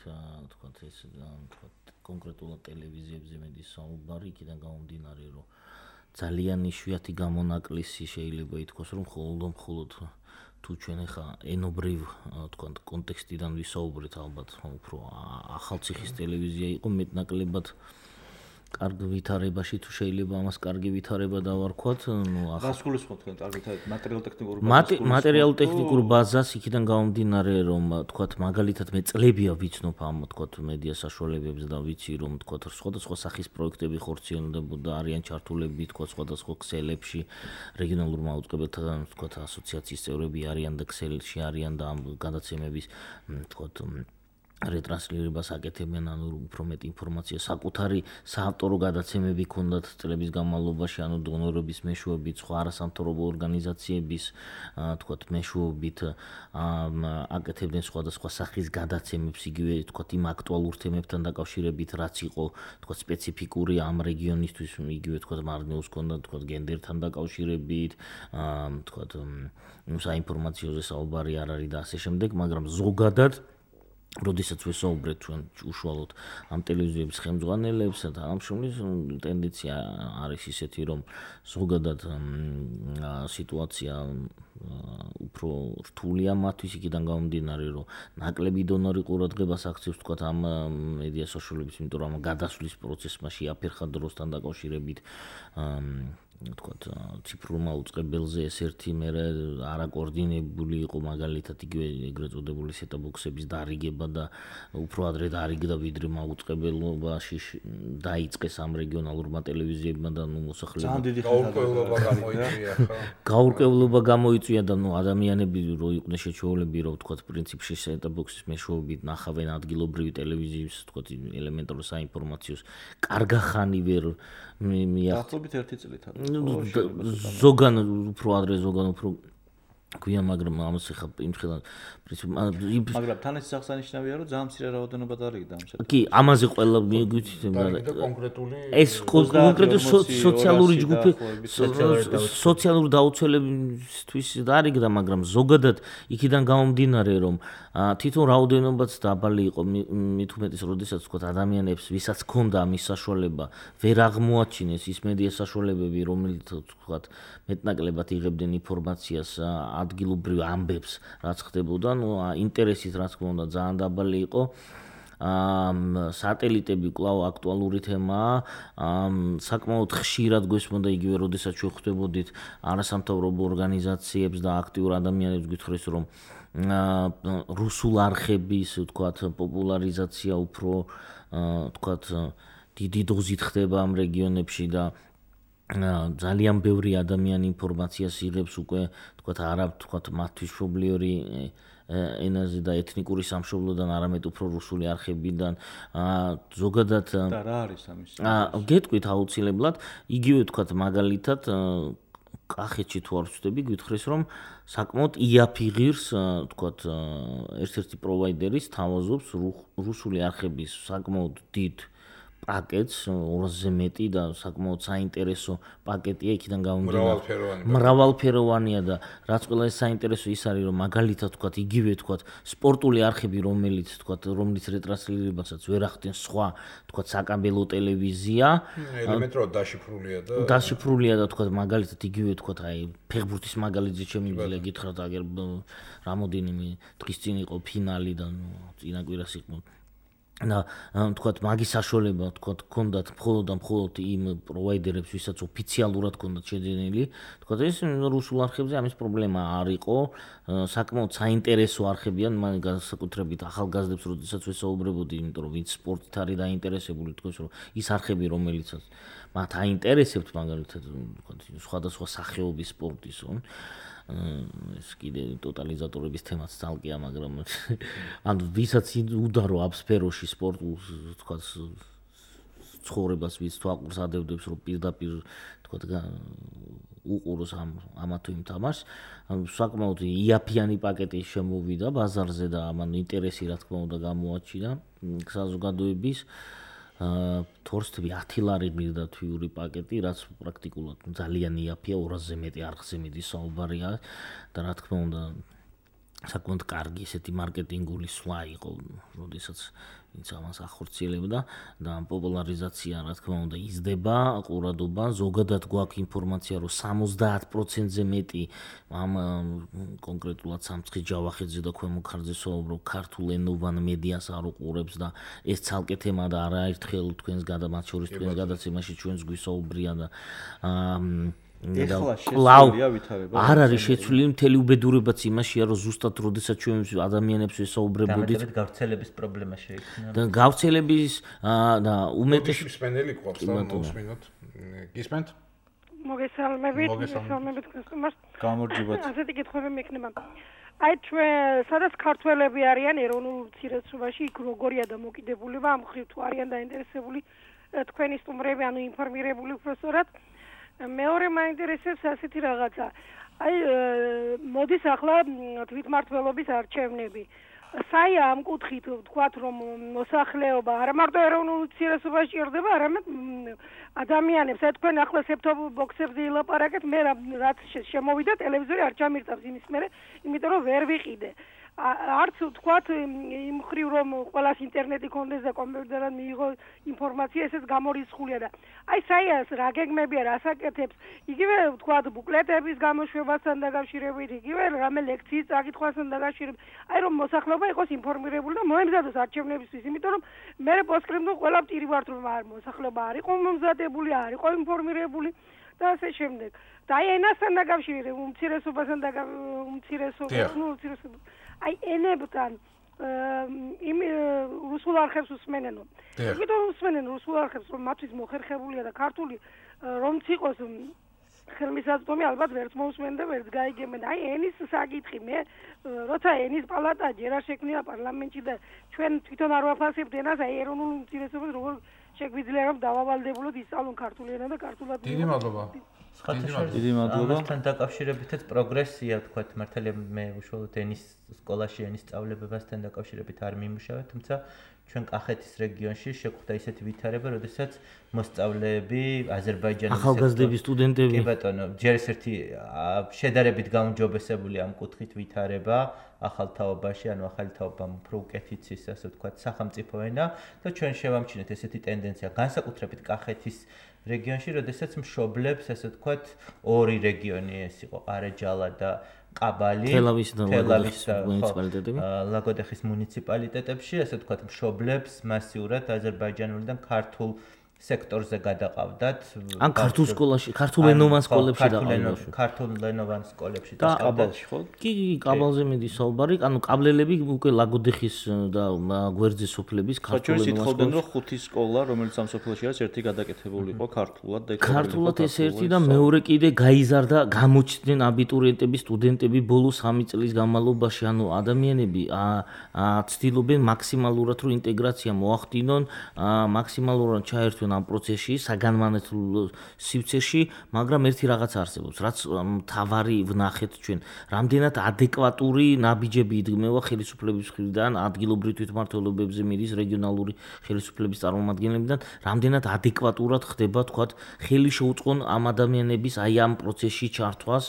S4: თქვათ ეს თქვათ კონკრეტულად ტელევიზიებზე მედის საუბარი, იქიდან გამომდინარე, რომ ძალიან იშვიათი გამონაკლისი შეიძლება ითქვას, რომ მხოლოდ თუ ჩვენ ახლა ენობრივ თქვათ კონტექსტიდან ვისაუბრეთ, ალბათ უფრო ახალციხის ტელევიზია იყო მეტნაკლებად კარგ ვითარებაში თუ შეიძლება ამას კარგი ვითარება დავარქვათ, ნუ
S3: ახლა რას გულისხმობთ თქვენ კარგ მატერიალურ-ტექნიკურ
S4: ბაზას? მატერიალურ-ტექნიკურ ბაზას იქიდან გამომდინარე, რომ თქვათ მაგალითად მე წლებია ვიცნობ ამ თქვათ მედია საშუალებებს და ვიცი რომ თქვათ სხვადასხვა სახის პროექტები ხორციელდებოდა, არიან ჩართულები თქვათ სხვადასხვა ქსელებში, რეგიონალურ მაუწყებელთა თქვათ ასოციაციის წევრები არიან და ქსელში არიან და ამ გადაცემების თქვათ რეტრანსლირებას აკეთებენ, ანუ უფრო მეტ ინფორმაციას საკუთარი საავტორო გადაცემები ქონდათ წლების განმავლობაში, ანუ დონორების მეშვეობით, სხვა არასამთავრობო ორგანიზაციების თქვათ მეშვეობით აკეთებდნენ სხვადასხვა სახის გადაცემებს, იგივე თქვათ იმ აქტუალურ თემებთან დაკავშირებით, რაც იყო თქვათ სპეციფიკური ამ რეგიონისთვის, იგივე თქვათ მარნეულს ქონდა თქვათ გენდერთან დაკავშირებით, თქვათ საინფორმაციოზე საუბარი არ არის და ასე შემდეგ, მაგრამ ზოგადად როდესაც ვესაუბრეთ ჩვენ უშუალოდ ამ ტელევიზიების ხელმძღვანელებსა და ამ შორის ტენდენცია არის ისეთი, რომ ზოგადად სიტუაცია უფრო რთულია მათთვის, იქიდან გამომდინარე, რომ ნაკლები დონორი ყურადღებას აქცევს თქვათ ამ მედია საშუალებებს, იმიტომ რომ ამ გადასვლის პროცესმა შეაფერხა დროსთან დაკავშირებით თქვათ ციფრულმა უწყებელზე ეს ერთი მე არაკოორდინებული იყო მაგალითად იგივე ეგრეთ წოდებული სეტაბოქსების დარიგება და უფრო ადრე დარიგდა ვიდრე მაუწყებელობაში დაიწყეს ამ რეგიონალურმა ტელევიზიებმა და მოსახლეობა გაურკვევლობა გამოიწვია და ადამიანები რო იყვნენ შეჩვეულები რომ თქვათ პრინციპში სეტაბოქსის მეშვეობით ნახავენ ადგილობრივი ტელევიზიის თქვათ ელემენტარულ საინფორმაციოს კარგახანი ვერ
S3: დაახლოებით 1 წლით
S4: ზოგან უფრო ადრე ზოგან უფრო გვიან მაგრამ ამას ხა იმ ხელან
S3: მაგრამ თან ეს აღსანიშნავია რომ ძალიან მცირე რაოდენობა დარიგდა ამ
S4: შეტყობაზე. კი, ამაზე ყველა მიგვიცით
S2: კონკრეტული
S4: ეს კონკრეტული სოციალური ჯგუფი სოციალური დაუცველებისთვის დარიგდა, მაგრამ ზოგადად იქიდან გამომდინარე რომ თვითონ რაოდენობაც დაბალი იყო მით უმეტეს როდესაც თქვა ადამიანებს ვისაც ჰქონდა ამის საშუალება ვერ აღმოაჩინეს ის მედია საშუალებები რომელიც თქვა მეტნაკლებად იღებდნენ ინფორმაციას ადგილობრივ ამბებს რაც ხდებოდა ინტერესით რა თქმა უნდა ძალიან დაბალი იყო სატელიტები კვლავ აქტუალური თემაა საკმაოდ ხშირად გვესმოდა იგივე როდესაც ჩვენ ხვდებოდით არასამთავრობო ორგანიზაციებს და აქტიურ ადამიანებს გითხრეს რომ რუსულ არხების თქვათ პოპულარიზაცია უფრო თქვათ დიდი დოზით ხდება ამ რეგიონებში და ძალიან ბევრი ადამიანი ინფორმაციას იღებს უკვე თქვათ არა თქვათ მათთვის მშობლიური ენაზე და ეთნიკური სამშობლოდან არამედ უფრო რუსული არხებიდან ზოგადად
S3: და რა არის ამის
S4: გეტყვით აუცილებლად იგივე თქვათ მაგალითად კახეთში თუ არ ვწდები გითხრეს რომ საკმაოდ იაფი ღირს თქვათ ერთ-ერთი პროვაიდერის თავაზობს რუსული არხების საკმაოდ დიდ პაკეტს 200-ზე მეტი და საკმაოდ საინტერესო პაკეტია იქიდან გამომდინარე მრავალფეროვანია და რაც ყველა ეს საინტერესო ის არის რომ მაგალითად თქვათ იგივე თქვათ სპორტული არხები რომელიც რომლის რეტრანსლირებასაც ვერ ახდენ სხვა თქვათ საკაბელო ტელევიზია
S2: ელემენტარულად
S4: დაშიფრულია და თქვათ მაგალითად იგივე თქვათ აი ფეხბურთის მაგალითზე შემიძლია გითხრათ აგერ რამოდენიმე დღის წინ იყო ფინალი და წინა კვირას იყო და თქვათ მაგის საშუალება თქვათ ჰქონდათ მხოლოდ იმ პროვაიდერებს ვისაც ოფიციალურად ჰქონდათ შეძენილი თქვათ ეს რუსულ არხებზე ამის პრობლემა არ იყო საკმაოდ საინტერესო არხებიან მან განსაკუთრებით ახალგაზრდებს როდესაც ვესაუბრებოდი იმიტომ რომ ვინც სპორტით არის დაინტერესებული თქვენ რომ ის არხები რომელიცაც მათ აინტერესებთ მაგალითად თქვათ სხვადასხვა სახეობის სპორტისო ეს კიდე ტოტალიზატორების თემაც ძალკეა, მაგრამ ანუ ვისაც უდარო აბსფეროში სპორტულ თქვათ ცხოვრებას ვის თვალყურს ადევდებს რომ პირდაპირ თქვათ უყუროს ამა თუ იმ თამაშს, ანუ საკმაოდ იაფიანი პაკეტი შემოვიდა ბაზარზე და ამან ინტერესი რა თქმა უნდა გამოაჩინა საზოგადოების თორსტვი 10 ლარი მიღდა თვიური პაკეტი, რაც პრაქტიკულად ძალიან იაფია 200-ზე მეტი არხზე მიდის საუბარია და რა თქმა უნდა საკმაოდ კარგი ესეთი მარკეტინგული სვლა იყო, როდესაც ვინც ამას ახორციელებდა და პოპულარიზაცია რა თქმა უნდა იზრდება, ყურადობა, ზოგადად გვაქვს ინფორმაცია, რომ 70%-ზე მეტი ამ კონკრეტულად სამცხის ჯავახეთზე და ქვემო ქართლზე საუბრობ ქართულ ენოვან მედიას არ უყურებს და ეს ცალკე თემა და არაერთხელ თქვენს მათ შორის თქვენს გადაცემაში ჩვენს გვისაუბრია და
S3: ეხლა შეცვლილია ვითარება.
S4: არ არის შეცვლილი მთელი უბედურებაც იმაშია, რომ ზუსტად როდესაც ჩვენ ადამიანებს ვესაუბრებოდით,
S1: გავრცელების პრობლემა შეიქმნა.
S4: და გავრცელების და უმეტესი
S2: მსმენელი ყავს და მოსმინოთ. გისმენთ?
S5: მოგესალმებით გასტუმარს.
S3: გამარჯობათ.
S5: ასეთი კითხვები მექნება. აი ჩვენ სადაც ქართველები არიან ეროვნულ უმცირესობაში, იქ როგორია დამოკიდებულება ამ ხრივ თუ არიან დაინტერესებული თქვენი სტუმრები, ანუ ინფორმირებული უბრალოდ მეორე მაინტერესებს ასეთი რაღაცა. აი მოდის ახლა თვითმმართველობის არჩევნები. საია ამ კუთხით ვთქვათ რომ მოსახლეობა არა მარტო ეროვნულ უმცირესობაში ჭირდება, არამედ ადამიანებს. აი თქვენ ახლა სეფტობოქსებზე ილაპარაკეთ, მე რაც შემოვიდა ტელევიზორი არ ჩამირთავს იმის მერე, იმიტომ რომ ვერ ვიყიდე. არც თქვათ იმ ხრივ რომ ყველას ინტერნეტი კონდეს და კომპიუტერად მიიღო ინფორმაცია, ესეც გამორიცხულია და აი საიას რა გეგმებია, რა საკეთებს, იგივე თქვათ ბუკლეტების გამოშვებასთან დაკავშირებით, იგივე რამე ლექციის წაკითხვასთან დაკავშირებით, აი რომ მოსახლეობა იყოს ინფორმირებული და მოემზადოს არჩევნებისთვის, იმიტომ რომ მე პოსტკრიპტუმ ყველა პირი ვართ რომ მოსახლეობა არ იყო მომზადებული, არ იყო ინფორმირებული და ასე შემდეგ. და აი ენასთან დაკავშირებით, უმცირესობასთან უმცირესობა აი ენებთან იმ რუსულ არხებს უსმენენო. იმიტომ უსმენენ რუსულ არხებს, რომ მათთვის მოხერხებულია და ქართული რომც იყოს ხელმისაწვდომი ალბათ ვერც მოусმენ და ვერც გაიგებენ. აი ენის საკითხი მე როცა ენის პალატა ჯერ არ შექმნია პარლამენტში და ჩვენ თვითონ არ ვაფასებთ ენას, აი ეროვნულ უმცირესობას როგორ შეგვიძლია რომ დავავალდებულოთ ისწავლონ ქართული ენა და ქართულად.
S2: დიდი მადლობა.
S3: დიდი მადლობა.
S1: ამასთან დაკავშირებითაც პროგრესია თქვათ, მართალია მე უშუალოდ ენის სკოლაში ენის სწავლებებასთან დაკავშირებით არ მიმუშავე, თუმცა ჩვენ კახეთის რეგიონში შეგვხვდა ისეთი ვითარება, როდესაც მოსწავლეები აზერბაიჯანის
S4: ახალგაზრდები სტუდენტები
S1: კი ბატონო, ჯერ ერთი შედარებით გაუმჯობესებული ამ კუთხით ვითარება ახალ თაობაში, ანუ ახალი თაობამ უფრო უკეთიცის, ასე ვთქვათ, სახელმწიფო ენა და ჩვენ შევამჩნიეთ ესეთი ტენდენცია, განსაკუთრებით კახეთის რეგიონში, როდესაც მშობლებს, ასე ვთქვათ, ორი რეგიონი ეს იყო, ყარეჯალა და ყაბალი,
S4: თელავის და მუნიციპალიტეტები,
S1: ლაგოდეხის მუნიციპალიტეტებში, ასე ვთქვათ, მშობლებს მასიურად აზერბაიჯანული და ქართულ სექტორზე გადაყავდათ.
S4: ან ქართულ სკოლაში, ქართულენოვან სკოლებში დაყავდათ.
S1: ქართულენოვან სკოლებში
S3: და ყაბალში ხო?
S4: კი, ყაბალზე მიდი საუბარი, ანუ ყაბლელები უკვე ლაგოდეხის და გვერდზე სოფლების
S3: ქართულენოვან სკოლებში. რომ ხუთი სკოლა, რომელიც ამ სოფლებში არის, ერთი გადაკეთებული იყო ქართულად და
S4: ქართულად ეს ერთი და მეორე კიდე გაიზარდა, გამოჩნდნენ აბიტურიენტები, სტუდენტები ბოლო 3 წლის განმავლობაში, ანუ ადამიანები ცდილობენ მაქსიმალურად რომ ინტეგრაცია მოახდინონ, მაქსიმალურად ჩაერთვენ ამ პროცესში, საგანმანათლებლო სივრცეში, მაგრამ ერთი რაღაც არსებობს, რაც თავარი ვნახეთ ჩვენ, რამდენად ადეკვატური ნაბიჯები იდგმება ხელისუფლების მხრიდან, ადგილობრივ თვითმმართველობებზე მიდის რეგიონალური ხელისუფლების წარმომადგენლებიდან, რამდენად ადეკვატურად ხდება, თქვათ, ხელი შეუწყონ ამ ადამიანების აი ამ პროცესში ჩართვას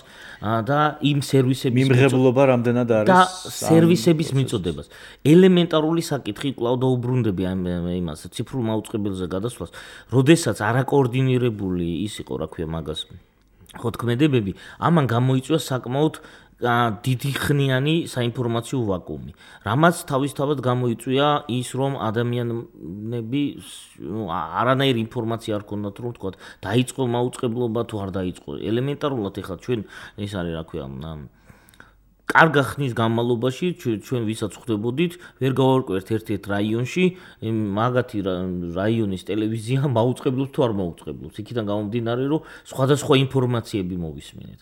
S4: და იმ სერვისების
S3: მიმღებლობა რამდენად არის
S4: და სერვისების მიწოდებას. ელემენტარული საკითხი კვლავ დაუბრუნდები იმას ციფრულ მაუწყებელზე გადასვლას, როდესაც არაკოორდინირებული ის იყო, რა ქვია მაგას, ხოთქმედებები, ამან გამოიწვია საკმაოდ დიდი ხნიანი საინფორმაციო ვაკუუმი. რამაც თავისთავად გამოიწვია ის, რომ ადამიანები არანაირი ინფორმაცია არ ქონდათ, რომ თქვა, დაიწყო მაუწყებლობა თუ არ დაიწყო. ელემენტარულად ეხლა ჩვენ ეს არის, რა ქვია, კარგა ხნის განმავლობაში ჩვენ ვისაც ხვდებოდით, ვერ გავარკვევთ ერთ-ერთ რაიონში, მაგათი რაიონის ტელევიზია მაუწყებლობს თუ არ მაუწყებლობს. იქიდან გამომდინარე, რომ სხვადასხვა ინფორმაციები მოვისმენთ.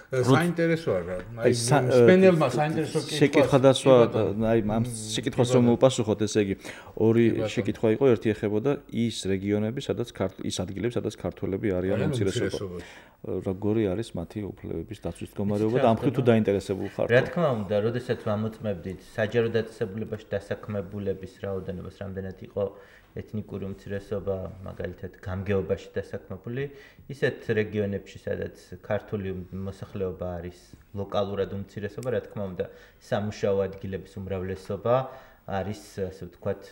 S2: საინტერესო არა. აი სპენელმა საინტერესო
S3: შეკითხვა დასვა, აი ამ შეკითხვას რომ მოპასუხოთ, ესე იგი, ორი შეკითხვა იყო, ერთი ეხებოდა ის რეგიონები, სადაც ის ადგილები, სადაც ქართველები არიან უმცირესობა. როგორი არის მათი უფლებების დაცვის მდგომარეობა და ამ ხრივ თუ დაინტერესებული ხართ?
S1: რა თქმა უნდა, როდესაც ვამოწმებდით საჯარო დაწესებულებაში დასაქმებულების რაოდენობას, რამდენად იყო ეთნიკური უმცირესობა, მაგალითად, გამგეობაში დასაქმებული, ისეთ რეგიონებში, სადაც ქართული მოსახლეობა არის ლოკალურად უმცირესობა, რა თქმა უნდა, სამუშაო ადგილების უმრავლესობა არის, ასე ვთქვათ,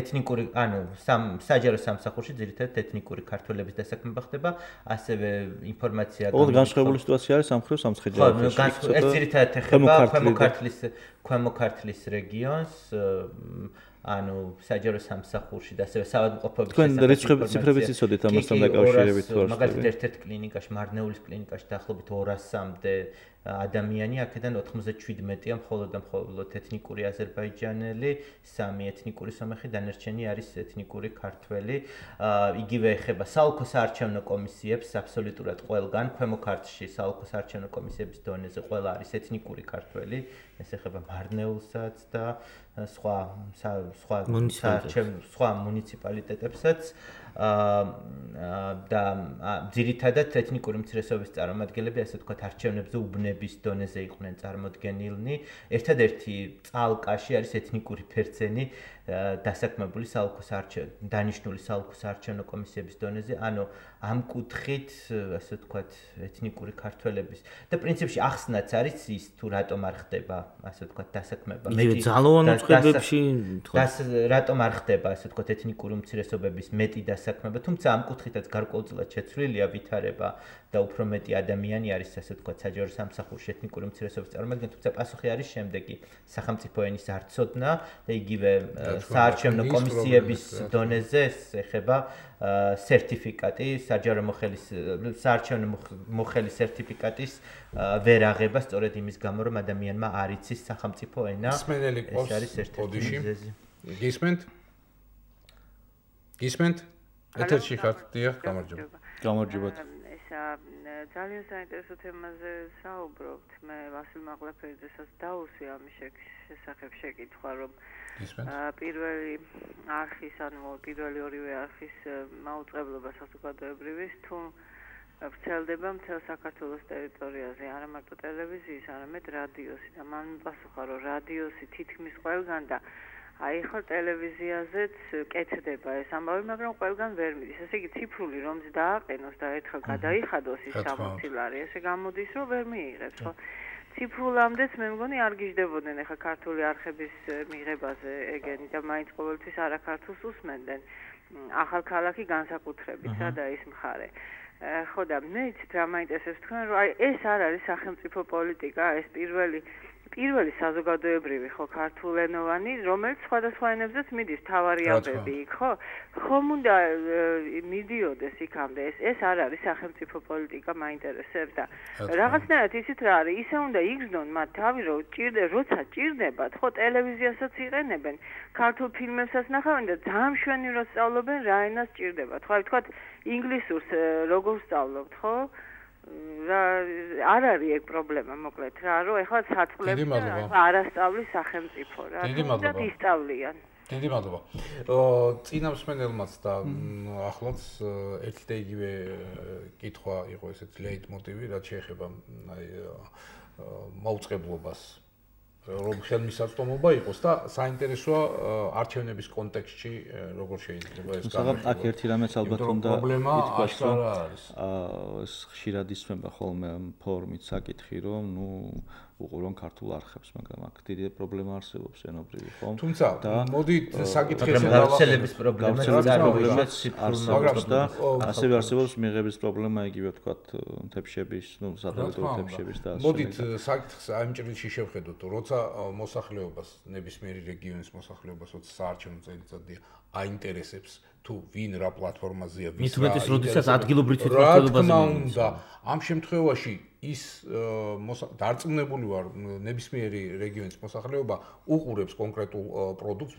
S1: ეთნიკური, ანუ საჯარო სამსახურში ძირითადად ეთნიკური ქართველების დასაქმება ხდება, ასევე ინფორმაცია
S3: ოღონდ განსხვავებული სიტუაცია არის სამხრეთ სამცხე-ჯავახეთში.
S1: ხო, ეს ძირითადად ეხება ქვემო ქართლის რეგიონს, ანუ საჯარო სამსახურში და ასევე საავადმყოფოების
S3: შესახებ ციფრებიც იცოდეთ ამასთან დაკავშირებით თუ არ?
S1: მაგალითად ერთ-ერთ კლინიკაში, მარნეულის კლინიკაში დაახლოებით 200-მდე ადამიანი, აქედან 97-ია მხოლოდ და მხოლოდ ეთნიკური აზერბაიჯანელი, 3 ეთნიკური სომეხი, დანარჩენი არის ეთნიკური ქართველი. იგივე ეხება საოლქო საარჩევნო კომისიებს, აბსოლუტურად ყველგან, ქვემო ქართლში საოლქო საარჩევნო კომისიების დონეზე ყველა არის ეთნიკური ქართველი, ეს ეხება მარნეულსაც და სხვა მუნიციპალიტეტებსაც. და ძირითადად ეთნიკური უმცირესობის წარმომადგენლები, ასე ვთქვათ, არჩევნებზე უბნების დონეზე იყვნენ წარმოდგენილნი. ერთადერთი წალკაში არის ეთნიკური ფერცენი, დასაქმებული დანიშნული საოლქო საარჩევნო კომისიების დონეზე, ანუ ამ კუთხით, ასე ვთქვათ, ეთნიკური ქართველების და პრინციპში ახსნაც არის ის თუ რატომ არ ხდება, ასე ვთქვათ, დასაქმება.
S4: მეტი ძალოვან უწყებებში,
S1: რატომ არ ხდება, ასე ვთქვათ, ეთნიკური უმცირესობების მეტი დასაქმება, თუმცა ამ კუთხითაც გარკვეულწილად შეცვლილია ვითარება და უფრო მეტი ადამიანი არის, ასე ვთქვათ, საჯარო სამსახურში ეთნიკური უმცირესობის წარმომადგენელი, თუმცა პასუხი არის შემდეგი: სახელმწიფო ენის არ ცოდნა და იგივე საარჩევნო კომისიების დონეზე ეხება სერტიფიკატი, საარჩევნო მოხელის სერტიფიკატის ვერ აღება სწორედ იმის გამო, რომ ადამიანმა არ იცის სახელმწიფო ენა. ეს არის ერთ-ერთი მიზეზი.
S2: გისმენთ? ეთერში ხართ, დიახ, გამარჯობა.
S3: გამარჯობა.
S6: ძალიან საინტერესო თემაზე საუბრობთ. მე ვასილ მაღლაფერიძესაც დაუსვი ამის შესახებ შეკითხვა, რომ პირველი არხის, ანუ პირველი ორივე არხის მაუწყებლობა საზოგადოებრივის თუ ვრცელდება მთელ საქართველოს ტერიტორიაზე, არა მარტო ტელევიზიის, არამედ რადიოსი და მან მიპასუხა, რომ რადიოსი თითქმის ყველგან და აი ხო ტელევიზიაზეც კეთდება ეს ამბავი, მაგრამ ყველგან ვერ მიდის. ესე იგი ციფრული რომს დააყენოს და ერთხელ გადაიხადოს ის 60 ლარი, ესე გამოდის, რომ ვერ მიიღებს, ხო? ციფრულამდეც მე მგონი არ გიждდებოდნენ ახლა ქართული არხების მიღებაზე ეგენი და მაინც ყოველთვის არაქართულს უსმენდნენ. ახალქალაქი განსაკუთრებით, სადა ის მხარე. ხო და მე იცით რა მაინტერესებს თქვენ, რომ აი ეს არ არის სახელმწიფო პოლიტიკა, ეს პირველი საზოგადოებრივი ხო ქართულენოვანი, რომელიც სხვადასხვა ენებზეც მიდის თავარი ამბები იქ, ხო? ხომ უნდა მიდიოდეს იქამდე, ეს არ არის სახელმწიფო პოლიტიკა, მაინტერესებს და რაღაცნაირად ისიც რა არის, ისე უნდა იგრძნონ მათ თავი, რომ როცა ჭირდებათ, ხო ტელევიზიასაც იყენებენ, ქართულ ფილმებსაც ნახავენ და ძალიან მშვენივრად სწავლობენ რა ენას ჭირდებათ. ხო, აი ვთქვათ, ინგლისურს როგორ სწავლობთ, ხო? არ არის ეგ პრობლემა, მოკლედ რა, რომ ეხლა საწყლებს არასწავლის სახელმწიფო რა, თუმცა ისწავლიან.
S2: დიდი მადლობა. წინა მსმენელმაც და ახლაც ერთი და იგივე კითხვა იყო ესეც ლეიტმოტივი, რაც შეეხება აი მაუწყებლობას. რომ ხელმისაწვდომობა იყოს და საინტერესოა არჩევნების კონტექსტში როგორ შეიძლება ეს
S3: განხილვა. აქ ერთი რამეც ალბათ უნდა ითქვას, რომ ხშირად ისმება ხოლმე ფორუმით საკითხი, რომ უყურონ ქართულ არხებს, მაგრამ აქ დიდი პრობლემა არსებობს ენობრივი, ხო?
S2: თუმცა მოდით საკითხის
S1: გავრცელების პრობლემა წარმოიქმნეს
S3: არსებობს და ასევე არსებობს მიღების პრობლემა, იგივე ვთქვათ, თებშების, სადავო თებშების და ასე.
S2: მოდით საკითხს ამ ჭრილში შევხედოთ, როცა მოსახლეობას, ნებისმიერი რეგიონის მოსახლეობას, როცა საარჩევნო წელიწადია აინტერესებს თუ ვინ რა პლატფორმაზეა, ვის რა.
S4: მithumetes როდესაც ადგილობრივ თვითმმართველობაზე
S2: და ამ შემთხვევაში ის დარწმუნებული ვარ, ნებისმიერი რეგიონის მოსახლეობა უყურებს კონკრეტულ პროდუქტს,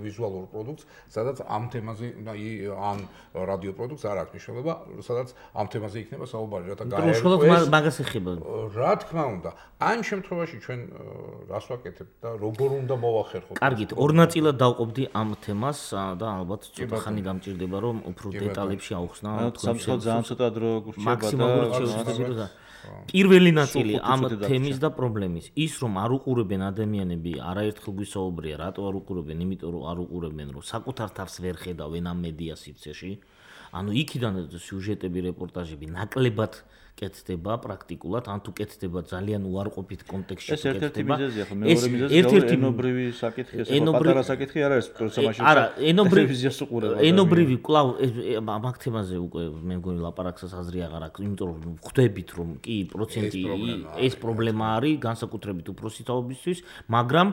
S2: ვიზუალურ პროდუქტს, სადაც ამ თემაზე ან რადიო პროდუქტს არ აქვს მნიშვნელობა, სადაც ამ თემაზე იქნება საუბარი, რათა
S4: გაერკვეს მაგას ეხება.
S2: რა თქმა უნდა, ამ შემთხვევაში ჩვენ რას ვაკეთებთ და როგორ უნდა მოვახერხოთ?
S4: კარგით, ორ ნაწილად დავყოფდი ამ თემას და ალბათ ცოტა ხანი გამჭირდება, რომ უფრო დეტალებში ავხსნა.
S3: სამწუხაროდ ძალიან ცოტა დრო გურჩება
S4: და პირველი ნაწილი ამ თემის და პრობლემის ის რომ არ უყურებენ ადამიანები არაერთხელ გვისაუბრია რატო არ უყურებენ იმიტომ რომ არ უყურებენ რომ საკუთარ თავს ვერ ხედავენ ამ მედია სივრცეში ანუ იქიდან სიუჟეტები რეპორტაჟები ნაკლებად კეთდება პრაქტიკულად ან თუ კეთდება ძალიან უარყოფით კონტექსტში
S3: ეს ერთ-ერთი მიზეზია ხო მეორე მიზეზია ენობრივი საკითხი ეს პატარა საკითხი არ არის პროცესში
S4: არა
S3: ტელევიზიას უყურება
S4: ენობრივი კლავ მაგ თემაზე უკვე მე მგონი ლაპარაკსაც აზრი აღარ აქვს იმიტომ რომ ხვდებით რომ კი პროცენტი ეს პრობლემა არის განსაკუთრებით უფროსი თაობისთვის მაგრამ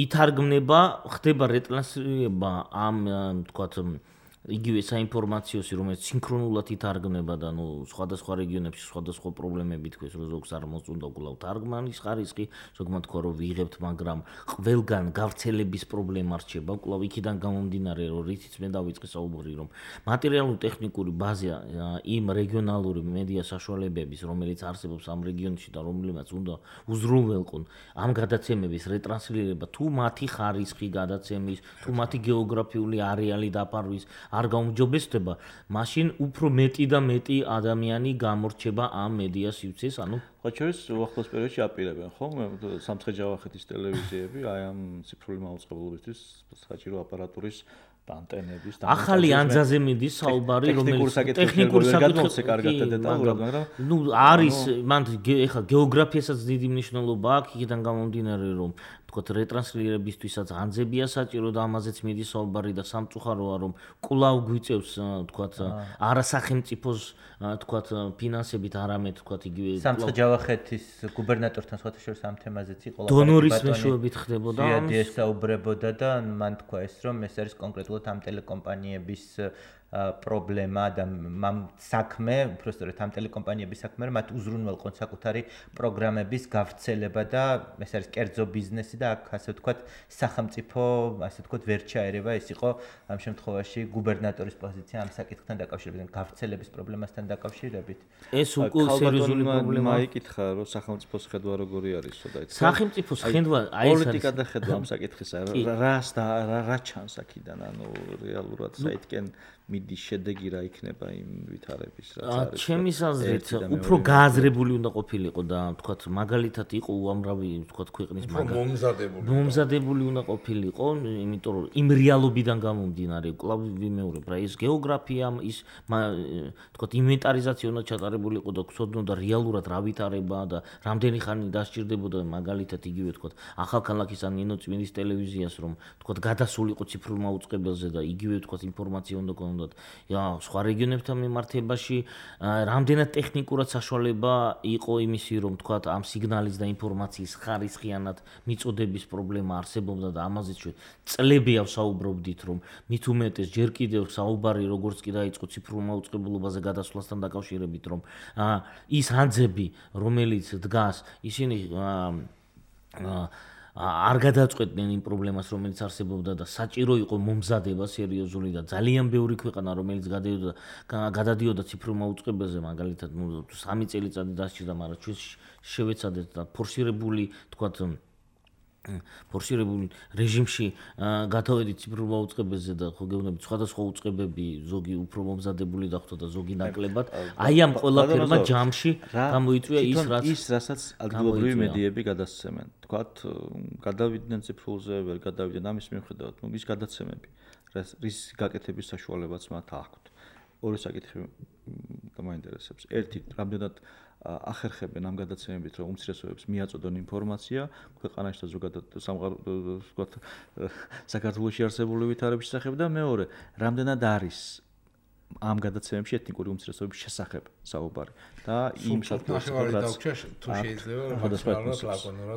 S4: ითარგმნება ხდება რეტრანსლირება ამ თქვათ იგივე საინფორმაციოსი რომელიც სინქრონულად ითარგმნება და ნუ სხვადასხვა რეგიონებში სხვადასხვა პრობლემები თქვეს რომ ზოგს არ მოწონდა კვლავ თარგმანის ხარისხი ზოგმა თქვა რომ ვიღებთ მაგრამ ყველგან გავრცელების პრობლემა რჩება კვლავ იქიდან გამომდინარე რომ რითიც მე დავიწყე საუბარი რომ მატერიალურ ტექნიკური ბაზა იმ რეგიონალური მედია საშუალებების რომელიც არსებობს ამ რეგიონში და რომელმაც უნდა უზრუნველყონ ამ გადაცემების რეტრანსლირება თუ მათი ხარისხი გადაცემის თუ მათი გეოგრაფიული არეალი დაფარვის არ გაუმჯობესდება, მაშინ უფრო მეტი და მეტი ადამიანი გამორჩება ამ მედია სივრცეს, ანუ
S3: ხოჩორის უახლოს პერიოდში აპირებენ, ხო? სამცხე-ჯავახეთის ტელევიზიები აი ამ ციფრული მაუწყებლობისთვის საჭირო აპარატურის ანტენების და
S4: ახალი ანძაზე მიდის საუბარი, რომელიც
S3: ტექნიკური საკითხებზე კარგად დეტალურად, მაგრამ
S4: ნუ არის მან ეხლა გეოგრაფიასაც დიდი მნიშვნელობა აქვს, იქიდან გამომდინარე, რომ თქო რეტრანსლირებისთვისაც ანძებია საჭირო და ამაზეც მიდის საუბარი და სამწუხაროა, რომ კვლავ გვიწევს თქო არასახელმწიფოს თქო ფინანსებით, არამედ თქო იგივე
S1: სამცხე-ჯავახეთის გუბერნატორთან სხვათა შორის ამ თემაზეც იყო
S4: დონორის მეშვეობით ხდებოდა
S1: ამის ესაუბრებოდა და მან თქვა ეს რომ ეს არის კონკრეტულად ამ ტელეკომპანიების პრობლემა და ამ საქმე, უბრალოდ ამ ტელეკომპანიების საქმე, მათ უზრუნველყონ საკუთარი პროგრამების გავრცელება და ეს არის კერძო ბიზნესი და აქ ასე ვთქვათ სახელმწიფო, ასე ვთქვათ ვერ ჩაერევა, ეს იყო ამ შემთხვევაში გუბერნატორის პოზიცია ამ საკითხთან დაკავშირებით, გავრცელების პრობლემასთან დაკავშირებით.
S4: ეს უკვე სერიოზული პრობლემაა.
S3: იკითხა რომ სახელმწიფოს ხედვა როგორი არისო და იცი.
S4: სახელმწიფოს ხედვა აი ეს
S3: პოლიტიკა და ხედვა ამ საკითხისა რა ჩანს აქიდან, ანუ რეალურად საითკენ მიდის შედეგი რა იქნება იმ ვითარების რაც არის.
S4: ჩემის აზრით უფრო გააზრებული უნდა ყოფილიყო და თქვათ მაგალითად იყო უამრავი თქვათ ქვეყნის მომზადებული უნდა ყოფილიყო, იმიტომ რომ იმ რეალობიდან გამომდინარე კვლავ ვიმეორებ რა ის გეოგრაფია ის თქვათ ინვენტარიზაცია უნდა ჩატარებულიყო და გქონოდა რეალურად რა ვითარება და რამდენი ხანი დასჭირდებოდა მაგალითად იგივე თქვათ ახალქალაქის ან ნინოწმინდის ტელევიზიას რომ თქვათ გადასულიყო ციფრულ მაუწყებელზე და იგივე თქვათ ინფორმაცია უნდა გქონოდა სხვა რეგიონებთან მიმართებაში რამდენად ტექნიკურად საშუალება იყო იმისი რომ თქვათ ამ სიგნალის და ინფორმაციის ხარისხიანად მიწოდების პრობლემა არსებობდა და ამაზე წლები ავსაუბრობდით რომ მით უმეტეს ჯერ კიდევ საუბარი როგორც კი დაიწყო ციფრულ მაუწყებლობაზე გადასვლასთან დაკავშირებით რომ ის ანძები რომელიც დგას ისინი არ გადაწყვეტდნენ იმ პრობლემას რომელიც არსებობდა და საჭირო იყო მომზადება სერიოზული და ძალიან ბევრი ქვეყანა რომელიც გადადიოდა ციფრულ მაუწყებელზე მაგალითად 3 წელიწადი დასჭირდა მაგრამ ჩვენ შევეცადეთ და ფორსირებული თქვათ ფორსირებულ რეჟიმში გადავედით ციფრულ მაუწყებელზე და ხო გეუბნებით სხვადასხვა უწყებები ზოგი უფრო მომზადებული დახვდა და ზოგი ნაკლებად აი ამ ყველაფერმა ჯამში გამოიწვია ის
S3: რასაც ადგილობრივი მედიები გადასცემენ თქვათ გადავიდნენ ციფრულზე ვერ გადავიდნენ ამის მიუხედავად ის გადაცემები რის გაკეთების საშუალებაც მათ აქვთ ორი საკითხი მაინტერესებს ერთი რამდენად ახერხებენ ამ გადაცემებით რომ უმცირესობებს მიაწოდონ ინფორმაცია ქვეყანაში და ზოგადად ვთქვათ საქართველოში არსებული ვითარების შესახებ და მეორე რამდენად არის ამ გადაცემებში ეთნიკური უმცირესობების შესახებ საუბარი და იმ საკითხებს რაც
S2: თუ შეიძლება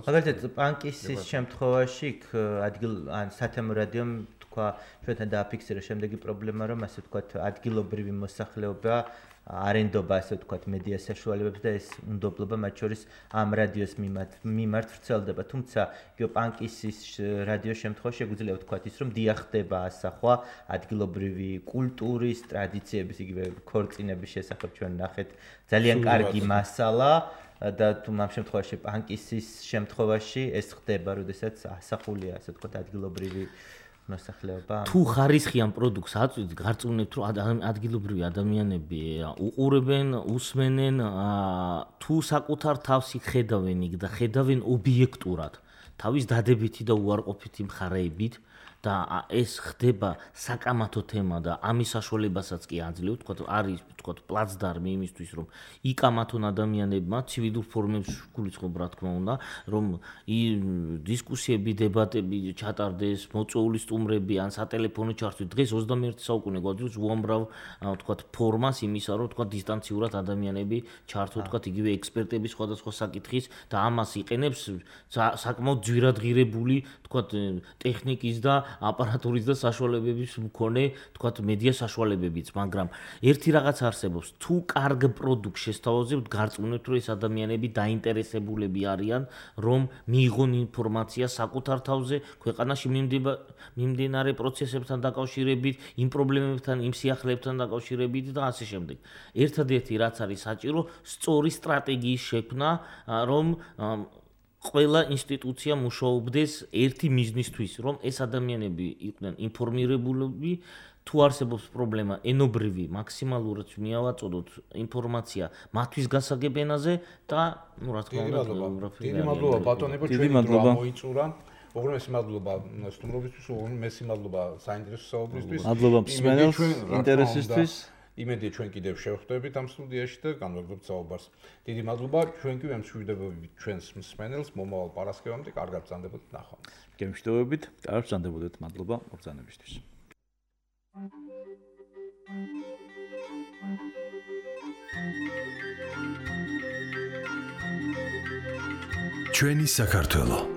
S1: მაგალითად პანკისის შემთხვევაში ადგილ ან სათემო რადიომ თქვა ჩვენთან დააფიქსირა შემდეგი პრობლემა რომ ასე ვთქვათ ადგილობრივი მოსახლეობა არენდობა ასე ვთქვათ მედია საშუალებებს და ეს უნდობლობა მათ შორის ამ რადიოს მიმართ ვრცელდება თუმცა პანკისის რადიოს შემთხვევაში შეგვიძლია ვთქვათ ის რომ დიახდება ასახვა ადგილობრივი კულტურის ტრადიციების იგივე ქორწინების შესახებ ჩვენ ნახეთ ძალიან კარგი მასალა და თუ ამ შემთხვევაში პანკისის შემთხვევაში ეს ხდება როდესაც ასახულია ასე ვთქვათ ადგილობრივი მოსახლეობა
S4: თუ ხარისხიან პროდუქტს აწვით გარწმუნებთ რომ ადგილობრივი ადამიანები უყურებენ უსმენენ თუ საკუთარ თავს ხედავენ იქ და ხედავენ ობიექტურად თავის დადებითი და უარყოფითი მხარეებით და ეს ხდება საკამათო თემა და ამის საშუალებასაც კი აძლევთ თქვა არის თქვა პლაცდარმი იმისთვის რომ იკამათონ ადამიანებმა ცივილურ ფორმებს გულისხმობ რა თქმა უნდა რომ დისკუსიები დებატები ჩატარდეს მოწვეული სტუმრები ან სატელეფონო ჩართვით დღეს 21 საუკუნე გვაძლევს უამრავ თქვა ფორმას იმისა რომ თქვა დისტანციურად ადამიანები ჩართო თქვა იგივე ექსპერტები სხვადასხვა საკითხის და ამას იყენებს საკმაოდ ძვირადღირებული თქვა ტექნიკის და აპარატურის და საშუალებების მქონე თქვათ მედია საშუალებებიც მაგრამ ერთი რაღაც არსებობს თუ კარგ პროდუქტს შესთავაზებთ გარწმუნებთ რომ ეს ადამიანები დაინტერესებულები არიან რომ მიიღონ ინფორმაცია საკუთარ თავზე ქვეყანაში მიმდინარე პროცესებთან დაკავშირებით იმ პრობლემებთან იმ სიახლეებთან დაკავშირებით და ასე შემდეგ ერთადერთი რაც არის საჭირო სწორი სტრატეგიის შექმნა რომ ყველა ინსტიტუცია მუშაობდეს ერთი მიზნისთვის, რომ ეს ადამიანები იყვნენ ინფორმირებულები თუ არსებობს პრობლემა ენობრივი მაქსიმალურად მიავაწოდოთ ინფორმაცია მათთვის გასაგებ ენაზე და რა თქმა უნდა
S2: დიდი მადლობა ბატონებო ჩვენი დრო მოიწურა უღრმესი მადლობა სტუმრობისთვის უღრმესი მადლობა საინტერესო საუბრისთვის
S3: მადლობა მსმენელს ინტერესისთვის
S2: იმედია ჩვენ კიდევ შევხვდებით ამ სტუდიაში და განვაგრძობთ საუბარს დიდი მადლობა ჩვენ კი ვემშვიდობებით ჩვენს მსმენელს მომავალ პარასკევამდე კარგად ბრძანდებოდეთ ნახვამდის
S3: გემშვიდობებით კარგად ბრძანდებოდეთ მადლობა მოგზაურობისთვის
S7: ჩვენი საქართველო